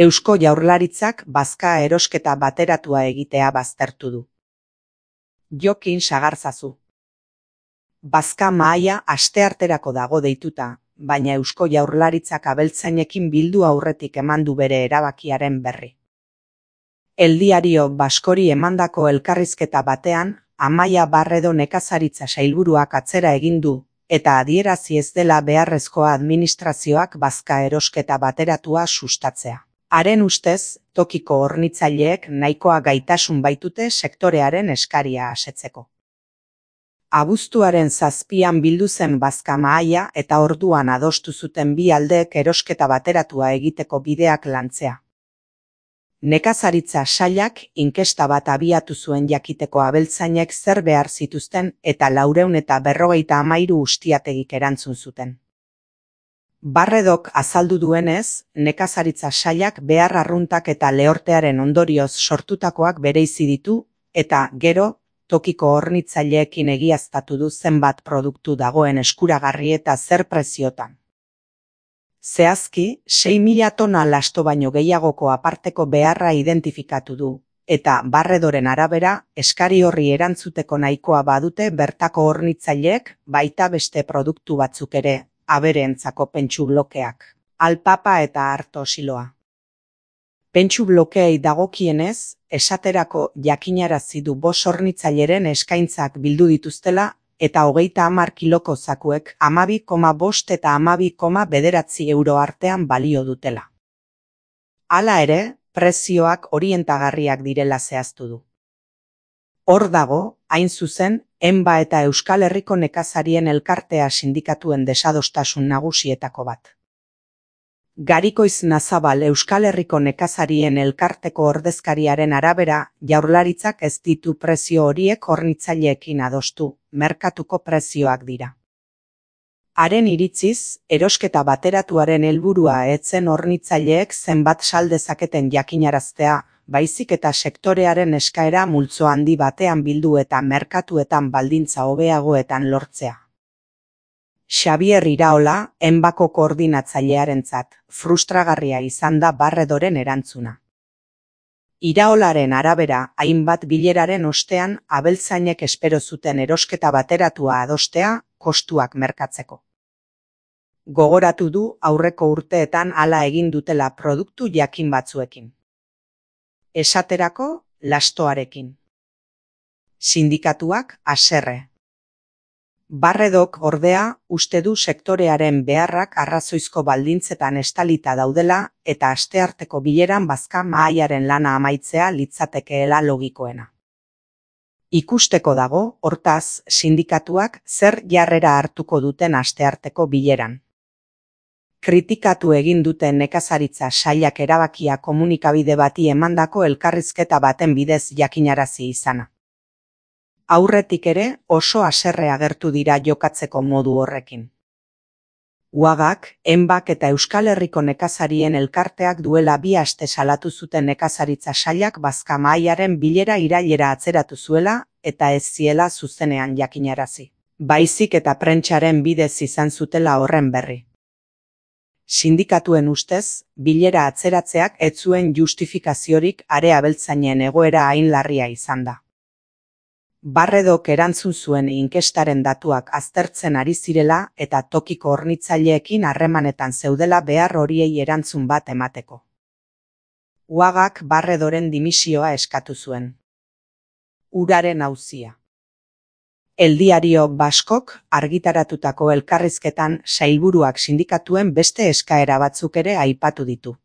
Eusko Jaurlaritzak bazka erosketa bateratua egitea baztertu du. Jokin Sagarzazu. Bazka mahaia astearterako dago deituta, baina Eusko Jaurlaritzak abeltzainekin bildu aurretik eman du bere erabakiaren berri. El Diario Baskori emandako elkarrizketa batean, Amaia Barredo nekazaritza sailburuak atzera egin du, eta adierazi ez dela beharrezkoa administrazioak bazka erosketa bateratua sustatzea. Haren ustez, tokiko hornitzaileek nahikoa gaitasun baitute sektorearen eskaria asetzeko. Abuztuaren 7an bildu zen bazka mahaia eta orduan adostu zuten bi aldeek erosketa bateratua egiteko bideak lantzea. Nekazaritza sailak inkesta bat abiatu zuen jakiteko abeltzainek zer behar zituzten eta 453 ustiategik erantzun zuten. Barredok azaldu duenez, nekazaritza sailak behar arruntak eta lehortearen ondorioz sortutakoak bereizi ditu, eta gero, tokiko hornitzaileekin egiaztatu du zenbat produktu dagoen eskuragarri eta zer preziotan. Zehazki, 6.000 tona lasto baino gehiagoko aparteko beharra identifikatu du, eta Barredoren arabera, eskari horri erantzuteko nahikoa badute bertako hornitzaileek, baita beste produktu batzuk ere, abereentzako pentsu blokeak, alpapa eta arto siloa. Pentsu blokeei dagokienez, esaterako jakinarazi du 5 hornitzaileren eskaintzak bildu dituztela, eta 30 kiloko zakuek 12,5 eta 12,9 euro artean balio dutela. Hala ere, prezioak orientagarriak direla zehaztu du. Hor dago, hain zuzen, ENBA eta Euskal Herriko nekazarien elkartea sindikatuen desadostasun nagusietako bat. Garikoiz Nazabal Euskal Herriko nekazarien elkarteko ordezkariaren arabera, Jaurlaritzak ez ditu prezio horiek hornitzaileekin adostu, merkatuko prezioak dira. Haren iritziz, erosketa bateratuaren helburua etzen hornitzaileek zenbat sal dezaketen jakinaraztea, baizik eta sektorearen eskaera multzo handi batean bildu eta merkatuetan baldintza hobeagoetan lortzea. Xabier Iraola, ENBako koordinatzailearentzat, frustragarria izan da Barredoren erantzuna. Iraolaren arabera, hainbat bileraren ostean abeltzainek espero zuten erosketa bateratua adostea, kostuak merkatzeko. Gogoratu du aurreko urteetan hala egin dutela produktu jakin batzuekin. Esaterako, lastoarekin. Sindikatuak haserre. Barredok ordea uste du sektorearen beharrak arrazoizko baldintzetan estalita daudela eta astearteko bileran bazka mahaiaren lana amaitzea litzatekeela logikoena. Ikusteko dago, hortaz, sindikatuak zer jarrera hartuko duten astearteko bileran. Kritikatu egin duten nekazaritza sailak erabakia komunikabide bati emandako elkarrizketa baten bidez jakinarazi izana. Aurretik ere oso haserre agertu dira jokatzeko modu horrekin. UAGak, ENBak eta Euskal Herriko nekazarien elkarteak duela 2 aste salatu zuten nekazaritza sailak bazka mahaiaren bilera irailera atzeratu zuela eta ez ziela zuzenean jakinarazi. Baizik eta prentsaren bidez izan zutela horren berri. Sindikatuen ustez, bilera atzeratzeak ez zuen justifikaziorik are abeltzainen egoera hain larria izan da. Barredok erantzun zuen inkestaren datuak aztertzen ari zirela eta tokiko hornitzaileekin harremanetan zeudela behar horiei erantzun bat emateko. UAGak Barredoren dimisioa eskatu zuen. Uraren auzia. El Diario Baskok argitaratutako elkarrizketan sailburuak sindikatuen beste eskaera batzuk ere aipatu ditu.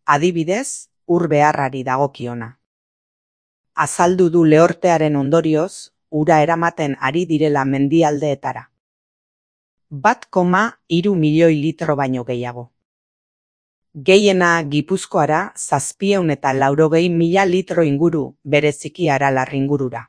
Adibidez, ur beharrari dagokiona. Azaldu du lehortearen ondorioz, ura eramaten ari direla mendialdeetara. 1,3 milioi litro baino gehiago. Gehiena Gipuzkoara 780.000 litro inguru, bereziki Aralar ingurura.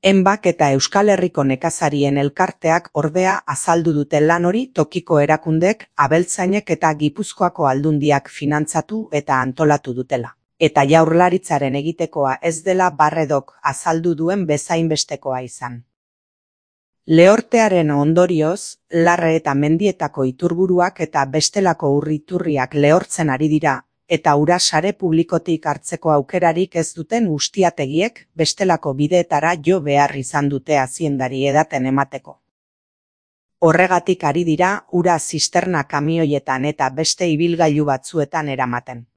ENBak eta Euskal Herriko nekazarien elkarteak ordea azaldu dute lan hori tokiko erakundek, abeltzainek eta Gipuzkoako aldundiak finantzatu eta antolatu dutela. Eta Jaurlaritzaren egitekoa ez dela Barredok azaldu duen bezainbestekoa izan. Lehortearen ondorioz, larre eta mendietako iturburuak eta bestelako ur-iturriak lehortzen ari dira, eta ura sare publikotik hartzeko aukerarik ez duten ustiategiek bestelako bideetara jo behar izan dute haziendari edaten emateko. Horregatik ari dira ura zisterna kamioietan eta beste ibilgailu batzuetan eramaten.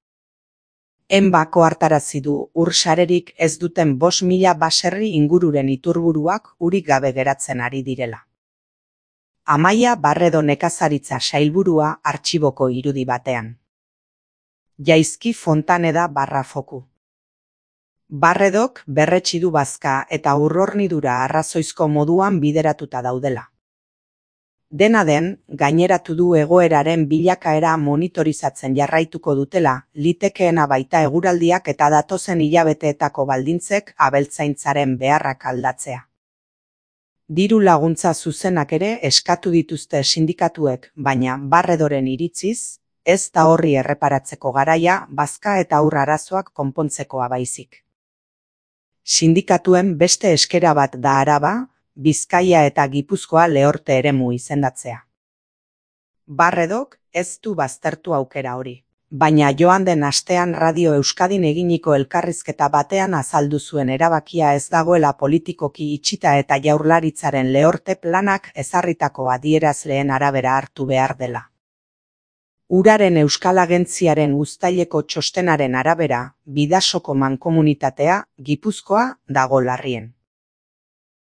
Enbako hartarazi du ur sarerik ez duten 5.000 baserri ingururen iturburuak urik gabe geratzen ari direla. Amaia Barredo nekazaritza sailburua artxiboko irudi batean. Jaizki Fontaneda Barrafoku. Barredok berretsi du bazka eta urrornidura arrazoizko moduan bideratuta daudela. Dena den, gaineratu du egoeraren bilakaera monitorizatzen jarraituko dutela, litekeena baita eguraldiak eta datozen hilabeteetako baldintzek abeltzaintzaren beharrak aldatzea. Diru laguntza zuzenak ere eskatu dituzte sindikatuek, baina Barredoren iritziz, ez da horri erreparatzeko garaia bazka eta ur arazoak konpontzekoa baizik. Sindikatuen beste eskera bat da Araba, Bizkaia eta Gipuzkoa lehorte eremu izendatzea. Barredok ez du baztertu aukera hori, baina joan den astean Radio Euskadin eginiko elkarrizketa batean azaldu zuen erabakia ez dagoela politikoki itxita eta Jaurlaritzaren lehorte planak ezarritako adierazleen arabera hartu behar dela. Uraren Euskal Agentziaren uztaileko txostenaren arabera, Bidasoko mankomunitatea, Gipuzkoa, dago larrien.